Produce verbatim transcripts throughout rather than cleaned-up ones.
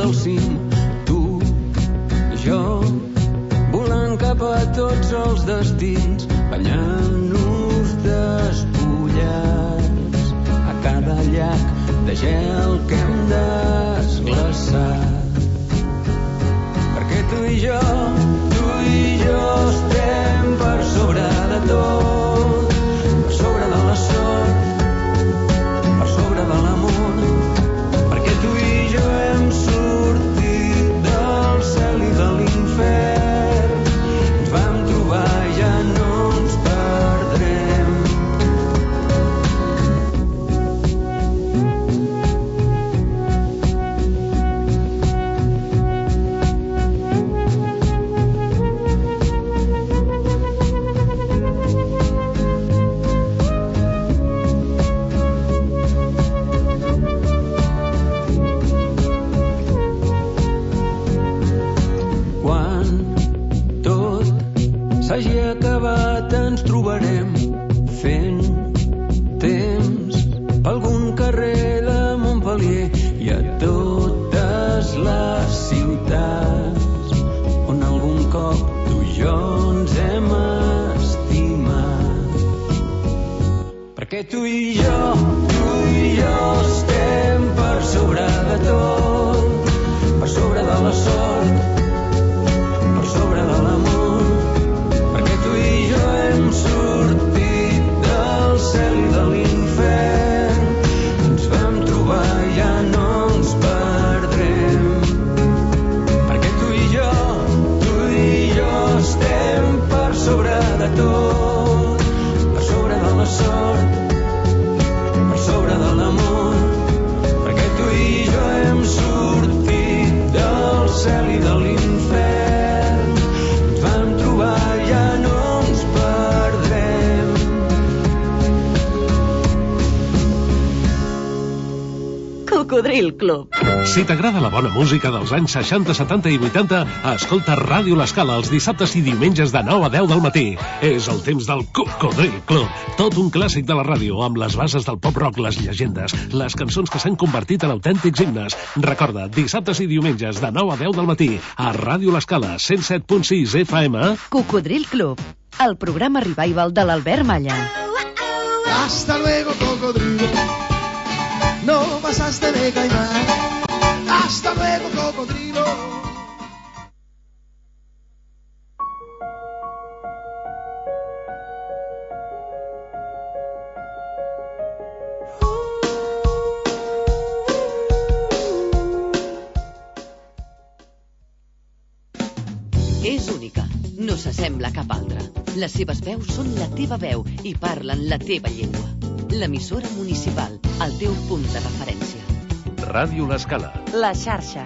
del cim, tu i jo, volant cap a tots els destins, banyant-nos despullats a cada llac de gel que hem desglaçat. Perquè tu i jo, tu i jo estem per sobre de tot, per sobre de la sort, per sobre de l'amor, perquè tu i jo hem sortit del cel i de l'infern, ens vam trobar i ja no ens perdrem. S'hagi acabat ens trobarem fent temps per algun carrer de Montpellier i a totes les ciutats on algun cop tu i jo ens hem estimat. Perquè tu i jo, tu i jo estem per sobre de tot, per sobre de la sort, per sobre de l'amor, hem sortit del cel i de l'infern, ens vam trobar i ja no ens perdrem. Perquè tu i jo, tu i jo estem per sobre de tot, per sobre de la sort, per sobre de l'amor, perquè tu i jo hem sortit del cel i de l'infern, ens vam trobar i ja no Cocodril Club. Si t'agrada la bona música dels anys seixanta, setanta i vuitanta, escolta Ràdio L'Escala els dissabtes i diumenges de nou a deu del matí. És el temps del Cocodril Club. Tot un clàssic de la ràdio, amb les bases del pop-rock, les llegendes, les cançons que s'han convertit en autèntics himnes. Recorda, dissabtes i diumenges de nou a deu del matí, a Ràdio L'Escala, cent set punt sis F M. Cocodril Club, el programa revival de l'Albert Malla. Hasta luego, cocodrilo. No pasaste de caimán. Hasta luego, cocodrilo. És única, no s'assembla a cap altra. Les seves veus són la teva veu i parlen la teva llengua. L'emissora municipal, el teu punt de referència. Ràdio L'Escala. La xarxa.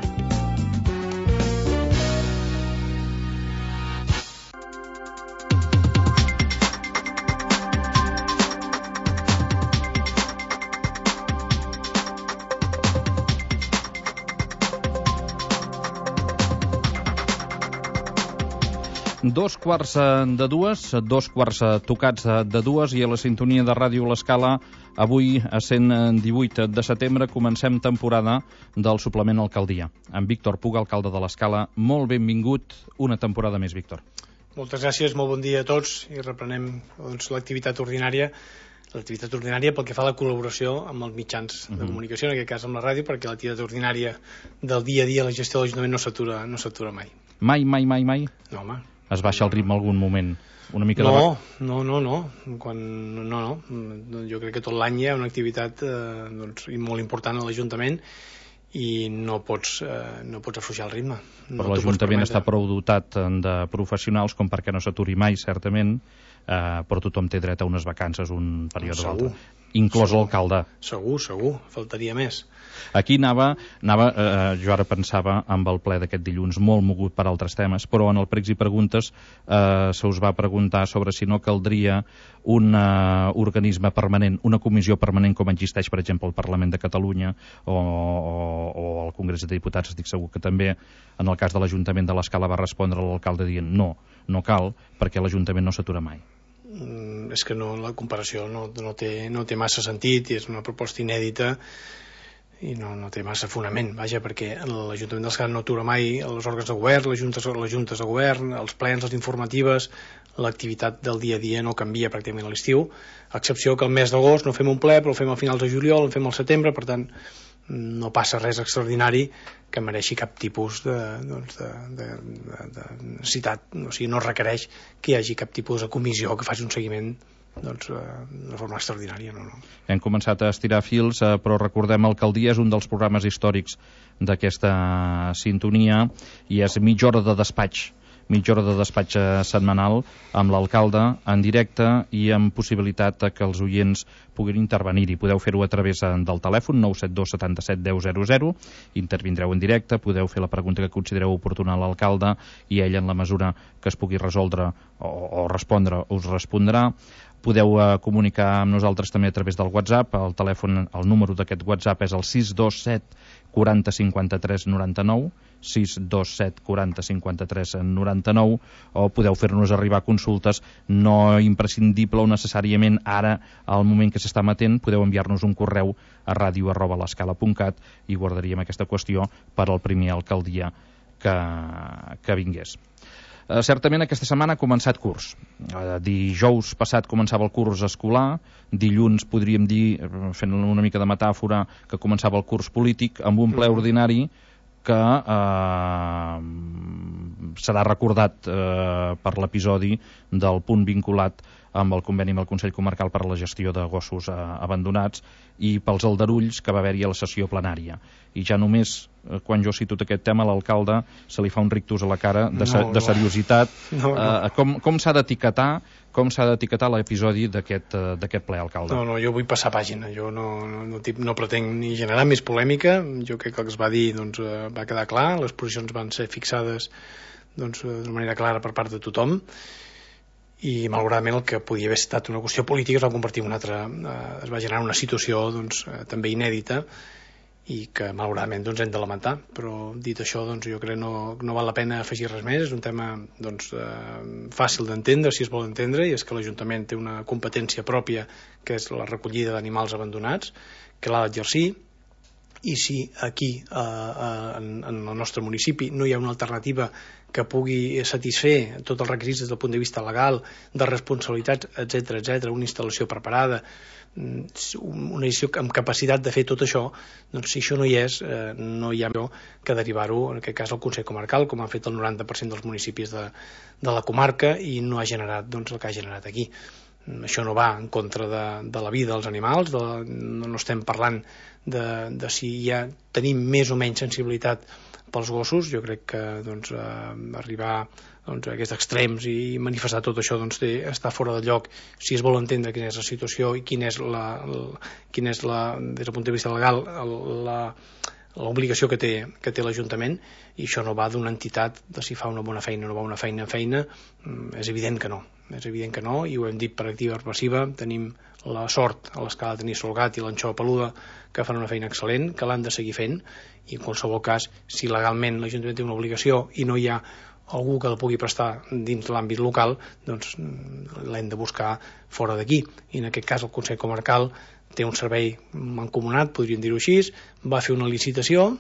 Dos quarts de dues, dos quarts tocats de dues i a la sintonia de Ràdio L'Escala. Avui, a cent divuit de setembre, comencem temporada del suplement Alcaldia. Amb Víctor Puga, alcalde de l'Escala. Molt benvingut una temporada més, Víctor. Moltes gràcies, molt bon dia a tots i reprenem doncs, l'activitat ordinària l'activitat ordinària pel que fa a la col·laboració amb els mitjans de comunicació, en aquest cas amb la ràdio, perquè l'activitat ordinària del dia a dia, la gestió de l'Ajuntament no s'atura no s'atura mai. Mai, mai, mai, mai? No, home. Es baixa el ritme algun moment? Una mica no, de... no, no, no. Quan, no, no. Jo crec que tot l'any hi ha una activitat eh, doncs, molt important a l'Ajuntament i no pots, eh, no pots afluixar el ritme. No. Però l'Ajuntament està prou dotat de professionals com perquè no s'aturi mai, certament, eh, però tothom té dret a unes vacances un període o l'altre, inclòs l'alcalde. Segur, segur, faltaria més. Aquí anava, anava eh, jo ara pensava amb el ple d'aquest dilluns, molt mogut per altres temes, però en el Pregs i Preguntes eh, se us va preguntar sobre si no caldria un uh, organisme permanent, una comissió permanent com existeix, per exemple, al Parlament de Catalunya o, o, o al Congrés de Diputats. Estic segur que també en el cas de l'Ajuntament de l'Escala va respondre l'alcalde dient no, no cal, perquè l'Ajuntament no s'atura mai. Mm, és que no, la comparació no, no, té, no té massa sentit i és una proposta inèdita i no, no té massa fonament, vaja, perquè l'Ajuntament d'Escala no atura mai els òrgans de govern, les juntes, les juntes de govern, els plens, les informatives, l'activitat del dia a dia no canvia pràcticament a l'estiu, a excepció que el mes d'agost no fem un ple, però el fem a finals de juliol, el fem al setembre, per tant no passa res extraordinari que mereixi cap tipus de, doncs de, de, de, de necessitat, o sigui, no requereix que hi hagi cap tipus de comissió que faci un seguiment doncs, de forma extraordinària. No, no. Hem començat a estirar fils, però recordem Alcaldia és un dels programes històrics d'aquesta sintonia i és mitja hora de despatx mitja hora de despatx setmanal amb l'alcalde en directe i amb possibilitat que els oients puguin intervenir-hi. Podeu fer-ho a través del telèfon nou set dos setanta-set deu zero zero, intervindreu en directe, podeu fer la pregunta que considereu oportuna a l'alcalde i ell, en la mesura que es pugui resoldre o, o respondre, us respondrà. Podeu eh, comunicar amb nosaltres també a través del WhatsApp. El telèfon, el número d'aquest WhatsApp és el sis dos set quaranta cinquanta-tres noranta-nou, sis dos set quaranta cinquanta-tres noranta-nou, o podeu fer-nos arribar consultes no imprescindible o necessàriament ara, al moment que s'està emetent, podeu enviar-nos un correu a ràdio arroba l'escala punt cat i guardaríem aquesta qüestió per al primer alcaldia que, que vingués. Uh, certament aquesta setmana ha començat curs. Uh, dijous passat començava el curs escolar, dilluns podríem dir, fent una mica de metàfora, que començava el curs polític amb un ple ordinari que uh, serà recordat uh, per l'episodi del punt vinculat amb el conveni amb el Consell Comarcal per a la gestió de gossos uh, abandonats i pels aldarulls que va haver-hi a la sessió plenària. I ja només, eh, quan jo cito aquest tema, a l'alcalde se li fa un rictus a la cara de, no, no. de seriositat. No, no. Eh, com com s'ha d'etiquetar com s'ha d'etiquetar l'episodi d'aquest uh, d'aquest ple, alcalde? No, no, jo vull passar pàgina. Jo no, no, no, no pretenc ni generar més polèmica. Jo crec que el que es va dir doncs, uh, va quedar clar. Les posicions van ser fixades doncs, d'una manera clara per part de tothom. I malauradament el que podia haver estat una qüestió política es va convertir en una altra, eh, es va generar una situació doncs, eh, també inèdita i que malauradament doncs, hem de lamentar, però dit això doncs, jo crec que no, no val la pena afegir res més. És un tema doncs, eh, fàcil d'entendre si es vol entendre, i és que l'Ajuntament té una competència pròpia que és la recollida d'animals abandonats, que l'ha d'exercir, i si aquí eh, eh, en, en el nostre municipi no hi ha una alternativa que pugui satisfer tots els requisits des del punt de vista legal, de responsabilitats, etc etc, una instal·lació preparada, una gestió amb capacitat de fer tot això, doncs si això no hi és, eh, no hi ha millor que derivar-ho, en aquest cas al Consell Comarcal, com ha fet el noranta per cent dels municipis de, de la comarca, i no ha generat doncs, el que ha generat aquí. Això no va en contra de, de la vida dels animals, de, no, no estem parlant de, de si ja tenim més o menys sensibilitat pels gossos. Jo crec que doncs, eh, arribar doncs, a aquests extrems i manifestar tot això doncs, té, està fora de lloc si es vol entendre quina és la situació i quina és la, la, quina és la des del punt de vista legal la, l'obligació que té, que té l'Ajuntament, i això no va d'una entitat de si fa una bona feina o no va una feina feina, és evident que no. És evident que no, i ho hem dit per activa i per passiva. Tenim la sort a l'escala de tenir Solgat i l'Anxova Peluda, que fan una feina excel·lent, que l'han de seguir fent, i en qualsevol cas, si legalment l'Ajuntament té una obligació i no hi ha algú que la pugui prestar dins l'àmbit local, doncs l'hem de buscar fora d'aquí. I en aquest cas el Consell Comarcal té un servei mancomunat, podríem dir-ho així, va fer una licitació,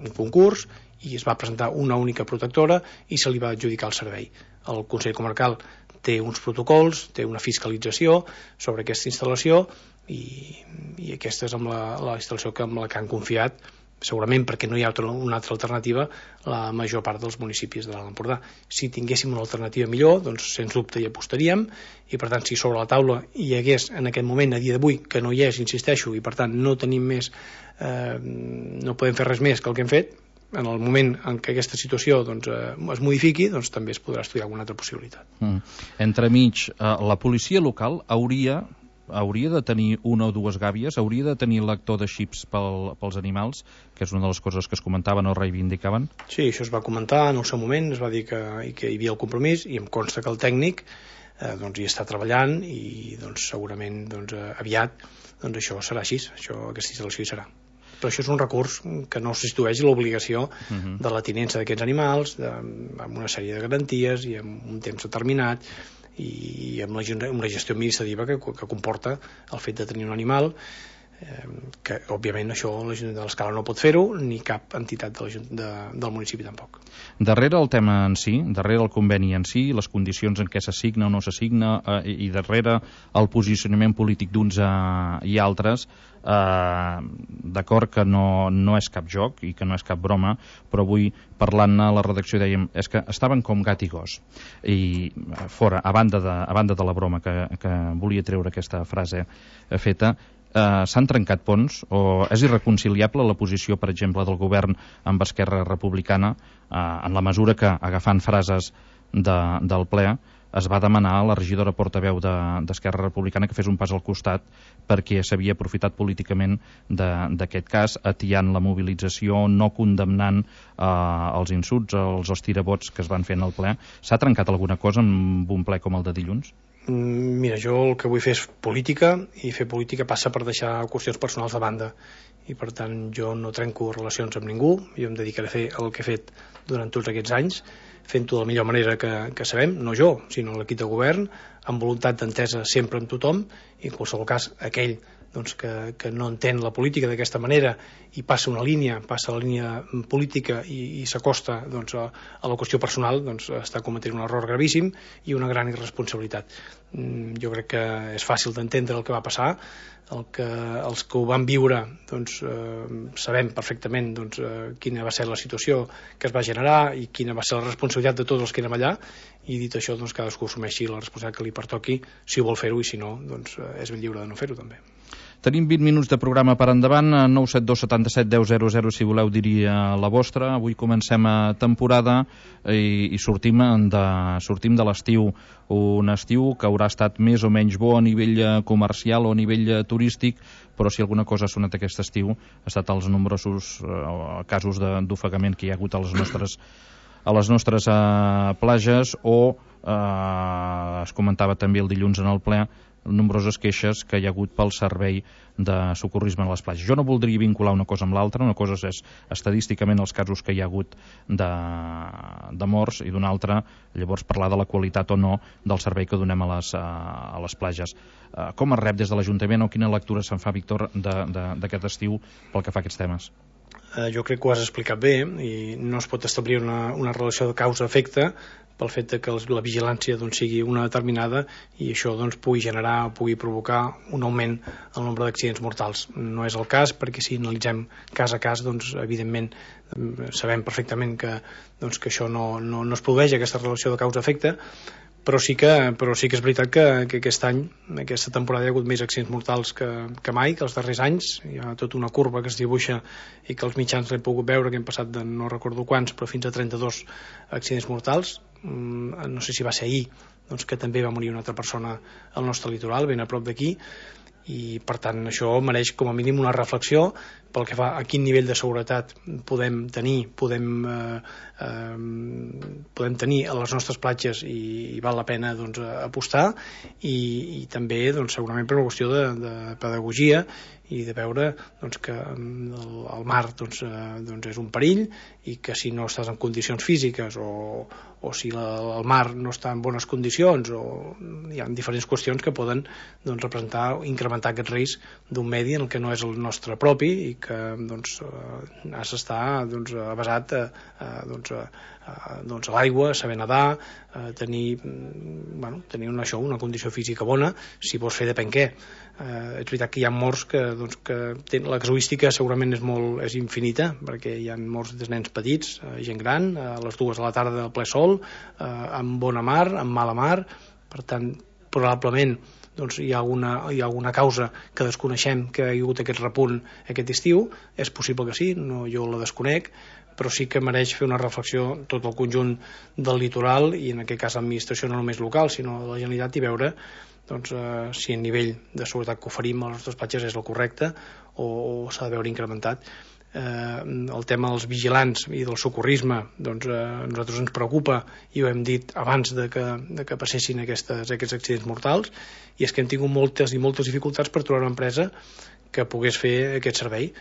un concurs, i es va presentar una única protectora i se li va adjudicar el servei. El Consell Comarcal té uns protocols, té una fiscalització sobre aquesta instal·lació, i, i aquesta és amb la, la instal·lació que, amb la que han confiat, segurament perquè no hi ha una altra alternativa, la major part dels municipis de l'Alt Empordà. Si tinguéssim una alternativa millor, doncs sens dubte hi apostaríem, i per tant si sobre la taula hi hagués en aquest moment, a dia d'avui, que no hi és, insisteixo, i per tant no tenim més, eh, no podem fer res més que el que hem fet, en el moment en què aquesta situació doncs, eh, es modifiqui, doncs també es podrà estudiar alguna altra possibilitat. Mm. Entremig, eh, la policia local hauria hauria de tenir una o dues gàbies, hauria de tenir lector de xips pel, pels animals, que és una de les coses que es comentaven o reivindicaven? Sí, això es va comentar en el seu moment, es va dir que, que hi havia el compromís, i em consta que el tècnic eh, doncs, hi està treballant, i doncs, segurament doncs, aviat doncs, això serà així, això, aquesta instal·lació hi serà. Però això és un recurs que no substitueix l'obligació uh-huh. de la tinença d'aquests animals, de, amb una sèrie de garanties i amb un temps determinat, i amb la, amb la gestió administrativa que, que comporta el fet de tenir un animal, que òbviament això l'Ajuntament de l'Escala no pot fer-ho, ni cap entitat de de, del municipi tampoc. Darrere el tema en si, darrere el conveni en si, les condicions en què s'assigna o no s'assigna, eh, i darrere el posicionament polític d'uns eh, i altres, eh, d'acord que no, no és cap joc i que no és cap broma, però avui parlant-ne a la redacció dèiem, és que estaven com gat i gos, i fora, a banda de, a banda de la broma que, que volia treure aquesta frase feta, eh, s'han trencat ponts, o és irreconciliable la posició, per exemple, del govern amb Esquerra Republicana, eh, en la mesura que, agafant frases de, del ple, es va demanar a la regidora portaveu d'Esquerra de, Republicana que fes un pas al costat perquè s'havia aprofitat políticament d'aquest cas, atiant la mobilització, no condemnant eh, els insults, els estirabots que es van fer en el ple. S'ha trencat alguna cosa en un ple com el de dilluns? Mira, jo el que vull fer és política, i fer política passa per deixar qüestions personals de banda, i per tant jo no trenco relacions amb ningú, jo em dedicaré a fer el que he fet durant tots aquests anys, fent-ho de la millor manera que, que sabem, no jo, sinó l'equip de govern, amb voluntat d'entesa sempre amb tothom, i en qualsevol cas aquell doncs, que, que no entén la política d'aquesta manera i passa una línia, passa la línia política i, i s'acosta doncs, a, a la qüestió personal, doncs, està cometent un error gravíssim i una gran irresponsabilitat. Jo crec que és fàcil d'entendre el que va passar, el que, els que ho van viure doncs, eh, sabem perfectament doncs, eh, quina va ser la situació que es va generar i quina va ser la responsabilitat de tots els que érem allà, i dit això doncs, cadascú assumeixi la responsabilitat que li pertoqui, si vol fer-ho, i si no doncs, eh, és ben lliure de no fer-ho també. Tenim vint minuts de programa per endavant, nou set dos setanta set deu zero zero si voleu dir la vostra. Avui comencem a temporada i, i sortim de, sortim de l'estiu, un estiu que haurà estat més o menys bo a nivell comercial o a nivell turístic, però si alguna cosa ha sonat aquest estiu ha estat els nombrosos eh, casos d'ofegament que hi ha hagut a les nostres a les nostres eh, plages, o eh, es comentava també el dilluns en el ple nombroses queixes que hi ha hagut pel servei de socorrisme a les platges. Jo no voldria vincular una cosa amb l'altra, una cosa és estadísticament els casos que hi ha hagut de, de morts, i d'una altra llavors parlar de la qualitat o no del servei que donem a les, a les platges. Com es rep des de l'Ajuntament, o quina lectura se'n fa, Víctor, d'aquest estiu pel que fa a aquests temes? Eh, jo crec que ho has explicat bé, i no es pot establir una, una relació de causa-efecte pel fet que la vigilància doncs, sigui una determinada, i això doncs, pugui generar o pugui provocar un augment en el nombre d'accidents mortals. No és el cas, perquè si analitzem cas a cas, doncs, evidentment sabem perfectament que, doncs, que això no, no, no es produeix, aquesta relació de causa-efecte, però sí que, però sí que és veritat que, que aquest any, aquesta temporada, hi ha hagut més accidents mortals que, que mai, que els darrers anys. Hi ha tota una curva que es dibuixa i que els mitjans l'hem pogut veure, que hem passat de no recordo quants, però fins a trenta-dos accidents mortals. No sé si va ser ahir, doncs, que també va morir una altra persona al nostre litoral, ben a prop d'aquí, i per tant això mereix com a mínim una reflexió pel que fa a quin nivell de seguretat podem tenir podem, eh, eh, podem tenir a les nostres platges, i, i val la pena doncs, apostar, i, i també doncs, segurament per una qüestió de, de pedagogia i de veure doncs, que el, el mar doncs, eh, doncs és un perill, i que si no estàs en condicions físiques, o, o si la, el mar no està en bones condicions, o hi ha diferents qüestions que poden doncs, representar o incrementar aquest risc d'un medi en el que no és el nostre propi, i que doncs, has d'estar doncs, avasat a, a, doncs, a, a, doncs, a l'aigua, saber nedar, a tenir, bueno, tenir una, això, una condició física bona, si vols fer depèn què. Eh, és veritat que hi ha morts que, doncs, que ten, la casuística segurament és, molt, és infinita, perquè hi ha morts de nens petits, eh, gent gran, a les dues de la tarda del ple sol, eh, amb bona mar, amb mala mar. Per tant, probablement doncs, hi, ha alguna, hi ha alguna causa que desconeixem, que hi ha hagut aquest repunt aquest estiu. És possible que sí, no, jo la desconec, però sí que mereix fer una reflexió tot el conjunt del litoral, i en aquest cas l'administració no només local sinó de la Generalitat, i veure doncs, eh, si el nivell de seguretat que oferim a les nostres platges és el correcte, o, o s'ha de veure incrementat. Eh, el tema dels vigilants i del socorrisme, doncs, eh, a nosaltres ens preocupa, i ho hem dit abans de que, de que passessin aquestes, aquests accidents mortals, i és que hem tingut moltes i moltes dificultats per trobar una empresa que pogués fer aquest servei.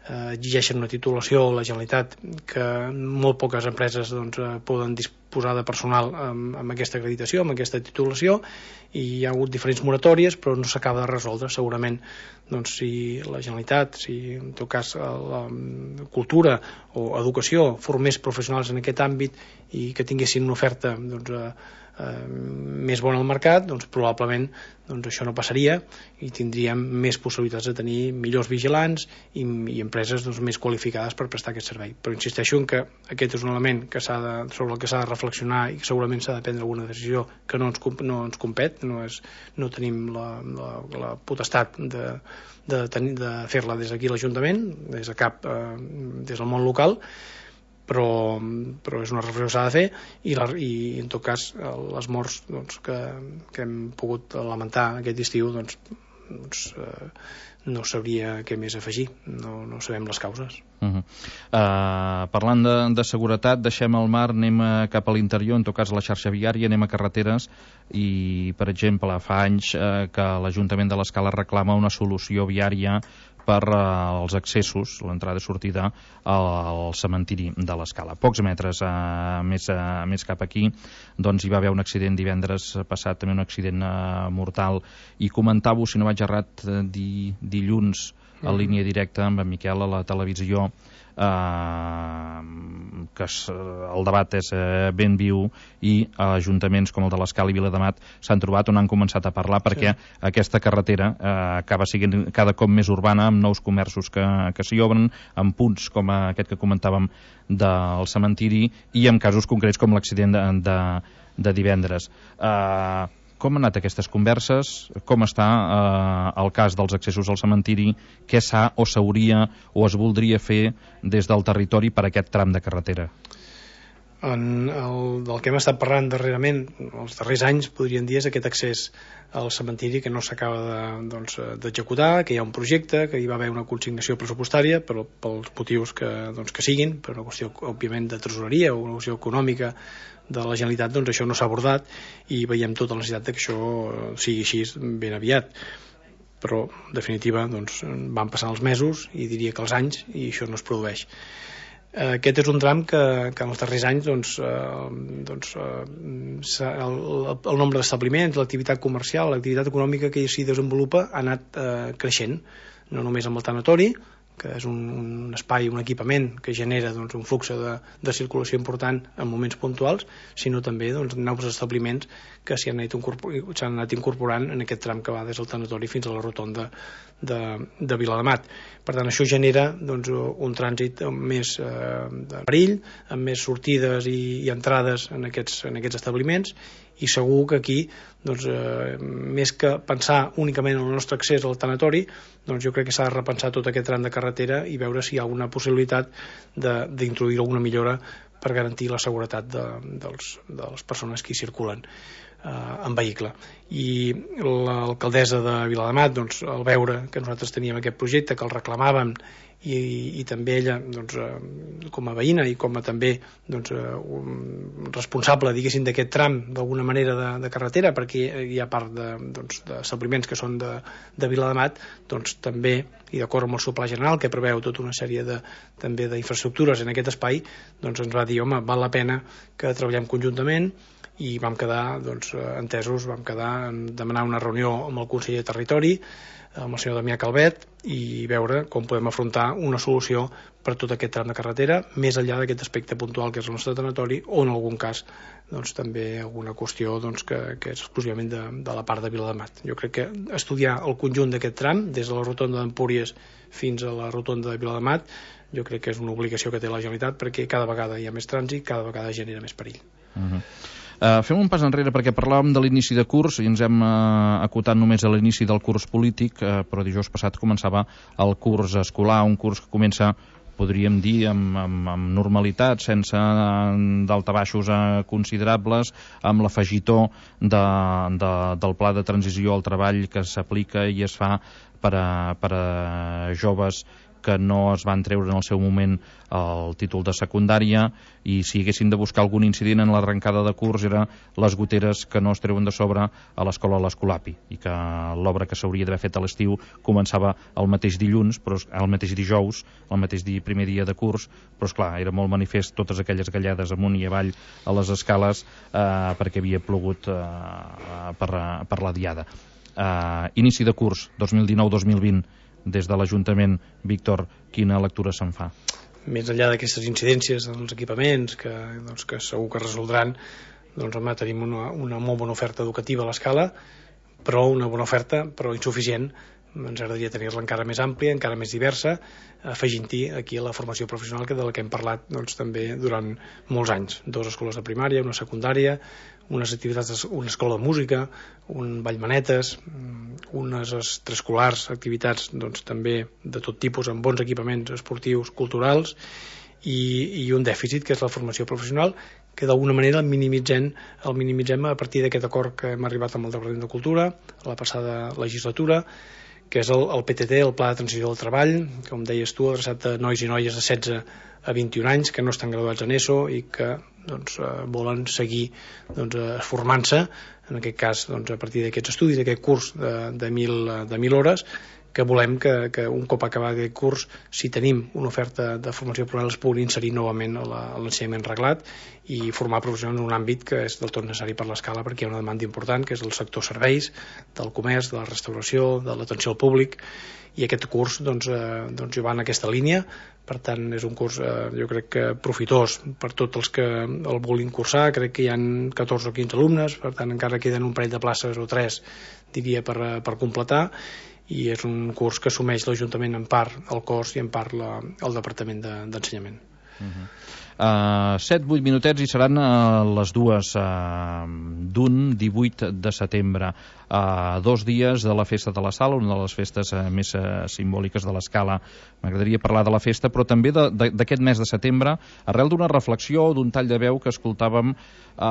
eh, exigeixen una titulació, la Generalitat, que molt poques empreses doncs, eh, poden disposar de personal amb, amb aquesta acreditació, amb aquesta titulació, i hi ha hagut diferents moratòries, però no s'acaba de resoldre. Segurament doncs, si la Generalitat, si en tot cas la cultura o educació formés professionals en aquest àmbit i que tinguessin una oferta doncs, eh, eh, més bona al mercat, doncs probablement doncs, això no passaria i tindríem més possibilitats de tenir millors vigilants i, i empreses doncs, més qualificades per prestar aquest servei. Però insisteixo en que aquest és un element que s'ha de, sobre el que s'ha de reflexionar i que segurament s'ha de prendre alguna decisió que no ens, no ens compet, no, és, no tenim la, la, la potestat de, de, tenir, de fer-la des d'aquí l'Ajuntament, des de cap, eh, des del món local, però, però és una reflexió que s'ha de fer i, la, i en tot cas les morts doncs, que, que hem pogut lamentar aquest estiu doncs, doncs, eh, no sabria què més afegir, no, no sabem les causes. Uh -huh. uh, parlant de, de seguretat, deixem el mar, anem cap a l'interior, en tot cas a la xarxa viària, anem a carreteres i, per exemple, fa anys uh, que l'Ajuntament de l'Escala reclama una solució viària per uh, els accessos, l'entrada i sortida al, al cementiri de l'Escala. Pocs metres uh, més, uh, més cap aquí, doncs hi va haver un accident divendres passat, també un accident uh, mortal, i comentava-ho, si no vaig errat, uh, di, dilluns en línia directa amb en Miquel a la televisió, eh, que es, el debat és eh, ben viu i ajuntaments com el de l'Escala i Viladamat s'han trobat on han començat a parlar perquè sí. aquesta carretera eh, acaba sent cada cop més urbana amb nous comerços que, que s'hi obren, amb punts com aquest que comentàvem del cementiri i en casos concrets com l'accident de, de, de divendres. Eh, Com han anat aquestes converses? Com està eh, el cas dels accessos al cementiri? Què s'ha o s'hauria o es voldria fer des del territori per aquest tram de carretera? En el, del que hem estat parlant darrerament, els darrers anys, podríem dir, és aquest accés al cementiri que no s'acaba de, doncs, d'executar, que hi ha un projecte, que hi va haver una consignació pressupostària, però pels motius que, doncs, que siguin, per una qüestió, òbviament, de tresoreria o una qüestió econòmica de la Generalitat, doncs això no s'ha abordat i veiem tota la necessitat que això sigui així ben aviat. Però, en definitiva, doncs, van passant els mesos i diria que els anys i això no es produeix. Aquest és un tram que, que en els darrers anys doncs, eh, doncs, eh, el, el nombre d'establiments, l'activitat comercial, l'activitat econòmica que s'hi desenvolupa ha anat eh, creixent, no només amb el tanatori, que és un, un espai, un equipament que genera doncs, un flux de, de circulació important en moments puntuals, sinó també doncs, nous establiments que s'hi han, s'han anat incorporant en aquest tram que va des del tanatori fins a la rotonda de, de Viladamat. Per tant, això genera doncs, un trànsit amb més eh, de perill, amb més sortides i, i entrades en aquests, en aquests establiments, i segur que aquí, doncs, eh, més que pensar únicament en el nostre accés al tanatori, doncs jo crec que s'ha de repensar tot aquest tram de carretera i veure si hi ha alguna possibilitat d'introduir alguna millora per garantir la seguretat de, dels, de les persones que hi circulen eh, en vehicle. I l'alcaldessa de Viladamat, doncs, al veure que nosaltres teníem aquest projecte, que el reclamàvem, i, i també ella doncs, eh, com a veïna i com a també doncs, eh, un responsable diguéssim d'aquest tram d'alguna manera de, de carretera, perquè hi ha part de, doncs, d'establiments que són de, de Viladamat, doncs també, i d'acord amb el seu pla general que preveu tota una sèrie de, també d'infraestructures en aquest espai, doncs ens va dir, home, val la pena que treballem conjuntament, i vam quedar doncs, entesos, vam quedar en demanar una reunió amb el conseller de Territori, amb el senyor Damià Calvet, i veure com podem afrontar una solució per tot aquest tram de carretera, més enllà d'aquest aspecte puntual que és el nostre tanatori, o en algun cas doncs, també alguna qüestió doncs, que, que és exclusivament de, de la part de Viladamat. Jo crec que estudiar el conjunt d'aquest tram, des de la rotonda d'Empúries fins a la rotonda de Viladamat, jo crec que és una obligació que té la Generalitat, perquè cada vegada hi ha més trànsit, cada vegada genera més perill. Uh-huh. Uh, fem un pas enrere perquè parlàvem de l'inici de curs i ens hem uh, acotat només a l'inici del curs polític, uh, però dijous passat començava el curs escolar, un curs que comença, podríem dir, amb, amb, amb normalitat, sense uh, daltabaixos uh, considerables, amb l'afegitó de, de, del pla de transició al treball que s'aplica i es fa per a, per a joves que no es van treure en el seu moment el títol de secundària, i si haguessin de buscar algun incident en l'arrencada de curs era les goteres que no es treuen de sobre a l'escola l'Escolapi, i que l'obra que s'hauria d'haver fet a l'estiu començava el mateix dilluns, però el mateix dijous, el mateix dia, primer dia de curs, però esclar, era molt manifest totes aquelles gallades amunt i avall a les escales eh, perquè havia plogut eh, per, per la diada. Eh, inici de curs dos mil dinou dos mil vint, des de l'Ajuntament, Víctor, quina lectura se'n fa? Més enllà d'aquestes incidències en els equipaments que, doncs, que segur que resoldran, doncs home, tenim una, una molt bona oferta educativa a l'Escala, però una bona oferta, però insuficient. Ens agradaria tenir-la encara més àmplia, encara més diversa, afegint-hi aquí la formació professional que de la que hem parlat doncs, també durant molts anys. Dues escoles de primària, una secundària, unes activitats, una escola de música, un ballmanetes, unes extraescolars, activitats doncs, també de tot tipus, amb bons equipaments esportius, culturals, i, i un dèficit que és la formació professional, que d'alguna manera el minimitzem, el minimitzem a partir d'aquest acord que hem arribat amb el Departament de Cultura a la passada legislatura, que és el, el P T T, el Pla de Transició del Treball, com deies tu, adreçat a nois i noies de setze a vint-i-un anys que no estan graduats en ESO i que doncs, eh, volen seguir doncs, eh, formant-se, en aquest cas doncs, a partir d'aquests estudis, d'aquest curs de, de, mil, de mil hores, que volem que, que un cop acabat aquest curs, si tenim una oferta de formació professional, es pugui inserir novament a l'ensenyament reglat i formar professionals en un àmbit que és del tot necessari per l'Escala, perquè hi ha una demanda important, que és el sector serveis, del comerç, de la restauració, de l'atenció al públic, i aquest curs doncs, eh, doncs va en aquesta línia. Per tant, és un curs, eh, jo crec que profitós per tots els que el vulguin cursar. Crec que hi ha catorze o quinze alumnes, per tant encara queden un parell de places o tres, diria, per, per completar, i és un curs que assumeix l'Ajuntament en part el cost i en part la, el Departament d'Ensenyament. Uh-huh. Uh, set vuit minutets i seran uh, les dues uh, d'un divuit de setembre, uh, dos dies de la Festa de la Sal, una de les festes uh, més uh, simbòliques de l'Escala. M'agradaria parlar de la festa, però també d'aquest mes de setembre, arrel d'una reflexió, d'un tall de veu que escoltàvem uh,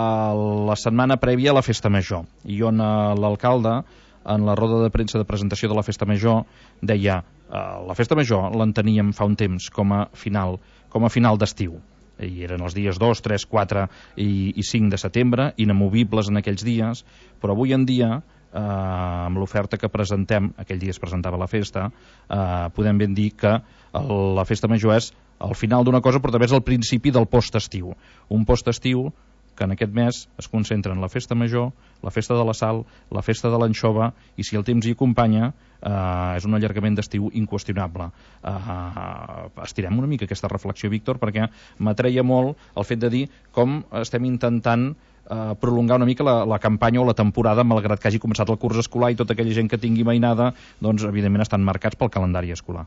la setmana prèvia a la Festa Major, i on uh, l'alcalde, en la roda de premsa de presentació de la Festa Major, deia uh, la Festa Major l'enteníem fa un temps com a final, com a final d'estiu, i eren els dies dos, tres, quatre i, i cinc de setembre, inamovibles en aquells dies, però avui en dia, eh, amb l'oferta que presentem, aquell dia es presentava la festa, eh, podem ben dir que el, la Festa Major és el final d'una cosa, però també és el principi del post-estiu. Un post-estiu que en aquest mes es concentra en la Festa Major, la Festa de la Sal, la Festa de l'Anxova, i si el temps hi acompanya, eh, és un allargament d'estiu inqüestionable. Eh, estirem una mica aquesta reflexió, Víctor, perquè m'atreia molt el fet de dir com estem intentant eh, prolongar una mica la, la campanya o la temporada, malgrat que hagi començat el curs escolar i tota aquella gent que tingui mainada, doncs evidentment estan marcats pel calendari escolar.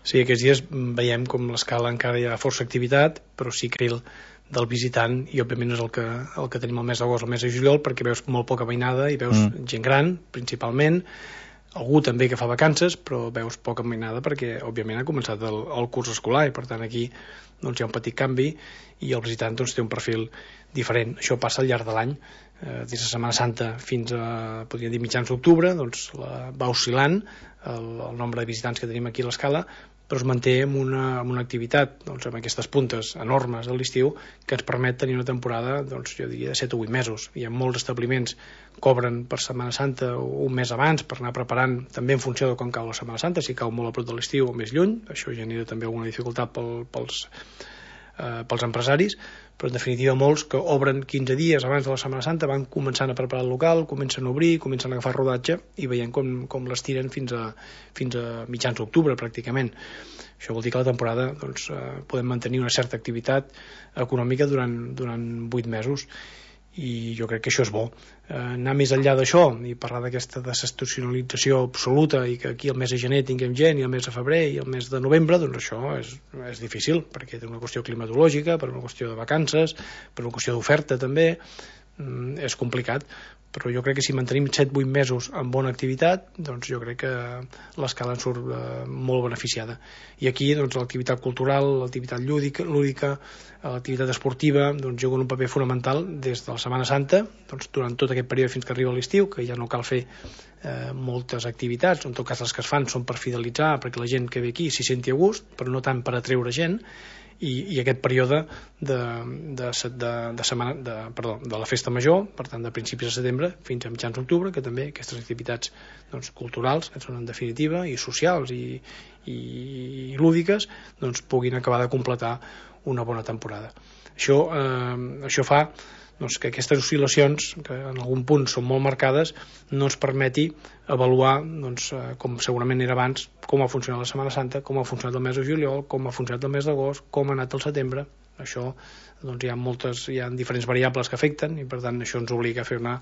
Sí, aquests dies veiem com l'Escala encara hi ha força activitat, però sí que el del visitant, i òbviament és el que, el que tenim el mes d'agost, el mes de juliol, perquè veus molt poca mainada i veus mm. gent gran, principalment, algú també que fa vacances, però veus poca mainada perquè òbviament ha començat el, el curs escolar, i per tant aquí doncs, hi ha un petit canvi i el visitant doncs, té un perfil diferent. Això passa al llarg de l'any, eh, des de Setmana Santa fins a, podríem dir, mitjans d'octubre, doncs la, va oscil·lant el, el nombre de visitants que tenim aquí a l'Escala, però es manté amb una, amb una activitat doncs, amb aquestes puntes enormes de l'estiu que ens permet tenir una temporada doncs, jo diria de set o vuit mesos. Hi ha molts establiments que obren per Setmana Santa un mes abans per anar preparant també en funció de com cau la Setmana Santa, si cau molt a prop de l'estiu o més lluny, això genera també alguna dificultat pel, pels, eh, pels empresaris, però en definitiva molts que obren quinze dies abans de la Setmana Santa van començant a preparar el local, comencen a obrir, comencen a agafar rodatge i veiem com, com les tiren fins a, fins a mitjans d'octubre pràcticament. Això vol dir que la temporada doncs, eh, podem mantenir una certa activitat econòmica durant, durant vuit mesos, i jo crec que això és bo. Eh, anar més enllà d'això i parlar d'aquesta desestacionalització absoluta i que aquí el mes de gener tinguem gent i el mes de febrer i el mes de novembre, doncs això és, és difícil, perquè té una qüestió climatològica, per una qüestió de vacances, per una qüestió d'oferta també, mm, és complicat, però jo crec que si mantenim set vuit mesos amb bona activitat, doncs jo crec que l'escala en surt eh, molt beneficiada. I aquí doncs, l'activitat cultural, l'activitat lúdica, lúdica l'activitat esportiva doncs, juguen un paper fonamental des de la Setmana Santa, doncs, durant tot aquest període fins que arriba l'estiu, que ja no cal fer eh, moltes activitats, en tot cas les que es fan són per fidelitzar, perquè la gent que ve aquí s'hi senti a gust, però no tant per atreure gent. I, i aquest període de, de, de, de, setmana, de, perdó, de la festa major, per tant de principis de setembre fins a mitjans d'octubre, que també aquestes activitats doncs, culturals, que són en definitiva i socials i, i, i lúdiques, doncs, puguin acabar de completar una bona temporada. Això, eh, això fa doncs, que aquestes oscil·lacions, que en algun punt són molt marcades, no ens permeti avaluar, doncs, com segurament era abans, com ha funcionat la Setmana Santa, com ha funcionat el mes de juliol, com ha funcionat el mes d'agost, com ha anat el setembre. Això, doncs, hi ha moltes, hi ha diferents variables que afecten i per tant això ens obliga a fer una,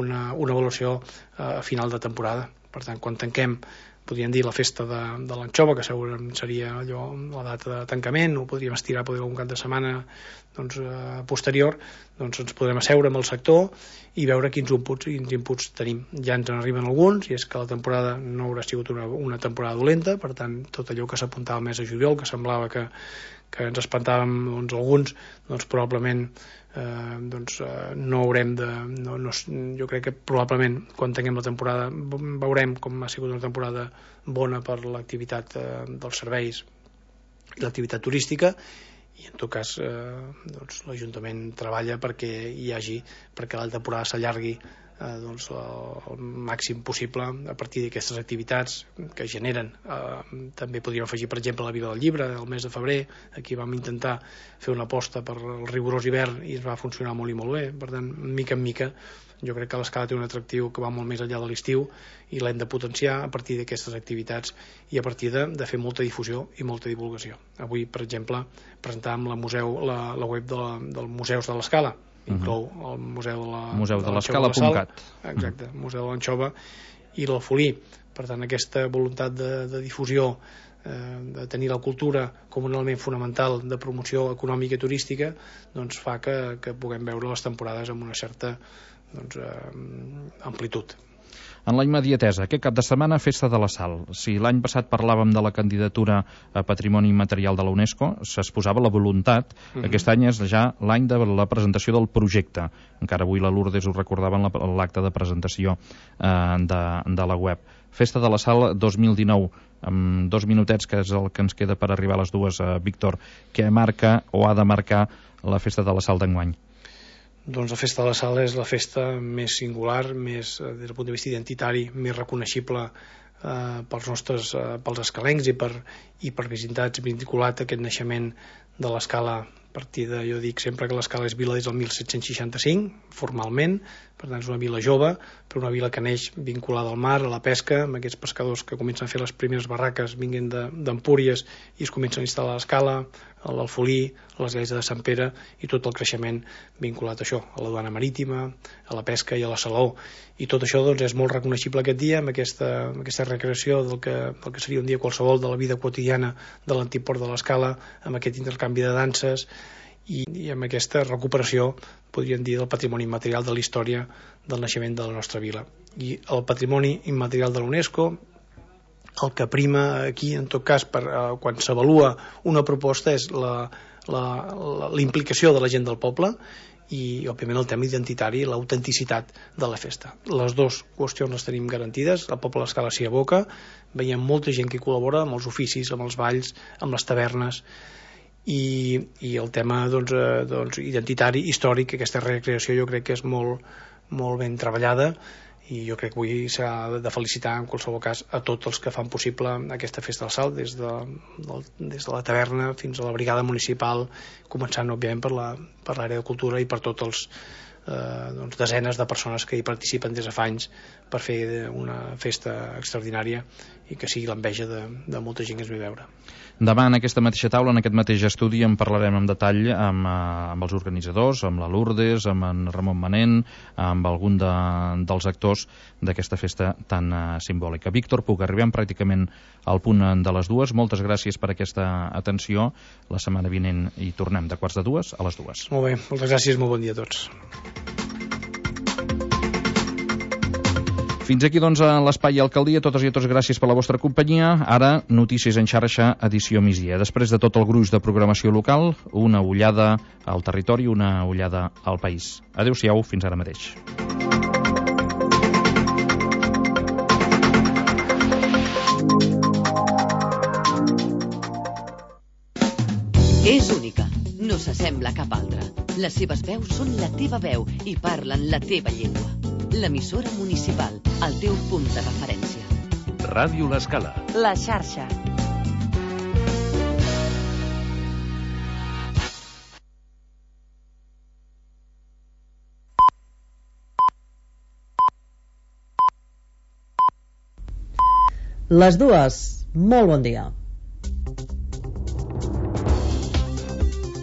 una, una avaluació a final de temporada. Per tant, quan tanquem, podríem dir la festa de, de l'anxova, que segurament seria allò, la data de tancament, o podríem estirar podríem un cap de setmana doncs, eh, posterior, doncs ens podrem asseure amb el sector i veure quins inputs, quins inputs tenim. Ja ens en arriben alguns, i és que la temporada no haurà sigut una, una temporada dolenta, per tant, tot allò que s'apuntava al mes de juliol, que semblava que, que ens espantàvem doncs, alguns, doncs probablement eh, doncs, eh, no haurem de... No, no, jo crec que probablement quan tinguem la temporada veurem com ha sigut una temporada bona per l'activitat eh, dels serveis i l'activitat turística, i en tot cas eh, doncs, l'Ajuntament treballa perquè hi hagi, perquè la temporada s'allargui eh, doncs, el màxim possible a partir d'aquestes activitats que generen. Eh, també podríem afegir, per exemple, la Vila del Llibre el mes de febrer. Aquí vam intentar fer una aposta per el rigorós hivern i es va funcionar molt i molt bé. Per tant, mica en mica, jo crec que l'escala té un atractiu que va molt més enllà de l'estiu i l'hem de potenciar a partir d'aquestes activitats i a partir de, de fer molta difusió i molta divulgació. Avui, per exemple, presentàvem la, museu, la, la web de la, del Museus de l'Escala, inclou el Museu de la, Museu de de l'Escala punt cat. Exacte, uh-huh. Museu de l'Anxova i l'Alfolí. Per tant, aquesta voluntat de, de difusió, eh, de tenir la cultura com un element fonamental de promoció econòmica i turística, doncs fa que, que puguem veure les temporades amb una certa doncs, eh, amplitud. En la immediatesa, aquest cap de setmana, Festa de la Sal. Si l'any passat parlàvem de la candidatura a Patrimoni Immaterial de la UNESCO, s'exposava la voluntat. Uh-huh. Aquest any és ja l'any de la presentació del projecte. Encara avui la Lourdes ho recordava en l'acte de presentació eh, de, de la web. Festa de la Sal dos mil dinou, amb dos minutets, que és el que ens queda per arribar a les dues, eh, Víctor. Què marca o ha de marcar la Festa de la Sal d'enguany? Doncs la Festa de la Sal és la festa més singular, més, des del punt de vista identitari, més reconeixible eh, pels nostres, eh, pels escalencs i per, i per visitats, vinculat a aquest naixement de l'Escala. A partir de, jo dic sempre que l'Escala és vila des del disset seixanta-cinc, formalment, per tant és una vila jove, però una vila que neix vinculada al mar, a la pesca, amb aquests pescadors que comencen a fer les primeres barraques vinguent d'Empúries i es comencen a instal·lar a l'Escala, a l'Alfolí, a l'església de Sant Pere i tot el creixement vinculat a això, a la duana marítima, a la pesca i a la Saló. I tot això doncs, és molt reconeixible aquest dia, amb aquesta, amb aquesta recreació del que, del que seria un dia qualsevol de la vida quotidiana de l'antic port de l'Escala, amb aquest intercanvi de danses i, i amb aquesta recuperació, podríem dir, del patrimoni immaterial de la història del naixement de la nostra vila. I el patrimoni immaterial de l'UNESCO, el que prima aquí, en tot cas, per, eh, quan s'avalua una proposta, és la, la, la, la implicació de la gent del poble i, òbviament, el tema identitari i l'autenticitat de la festa. Les dues qüestions les tenim garantides, el poble de l'Escala s'hi aboca, veiem molta gent que hi col·labora amb els oficis, amb els balls, amb les tavernes, i, i el tema doncs, eh, doncs, identitari, històric, aquesta recreació jo crec que és molt, molt ben treballada i jo crec que avui s'ha de felicitar en qualsevol cas a tots els que fan possible aquesta Festa del Sal, des de, del, des de la taverna fins a la brigada municipal, començant òbviament per la, per l'àrea de cultura i per tots els eh, doncs, desenes de persones que hi participen des de fa anys per fer una festa extraordinària i que sigui l'enveja de, de molta gent que ens ve a veure. Demà en aquesta mateixa taula, en aquest mateix estudi, en parlarem en detall amb, amb els organitzadors, amb la Lourdes, amb en Ramon Manent, amb algun de, dels actors d'aquesta festa tan uh, simbòlica. Víctor Puig, arribem pràcticament al punt de les dues. Moltes gràcies per aquesta atenció. La setmana vinent hi tornem de quarts de dues a les dues. Molt bé, moltes gràcies, molt bon dia a tots. Fins aquí, doncs, a l'Espai Alcaldia. Totes i a tots, gràcies per la vostra companyia. Ara, Notícies en xarxa, edició migdia. Després de tot el gruix de programació local, una ullada al territori, una ullada al país. Adéu-siau, fins ara mateix. És única, no s'assembla a cap altra. Les seves veus són la teva veu i parlen la teva llengua. L'emissora municipal, el teu punt de referència. Ràdio L'Escala. La xarxa. Les dues, molt bon dia.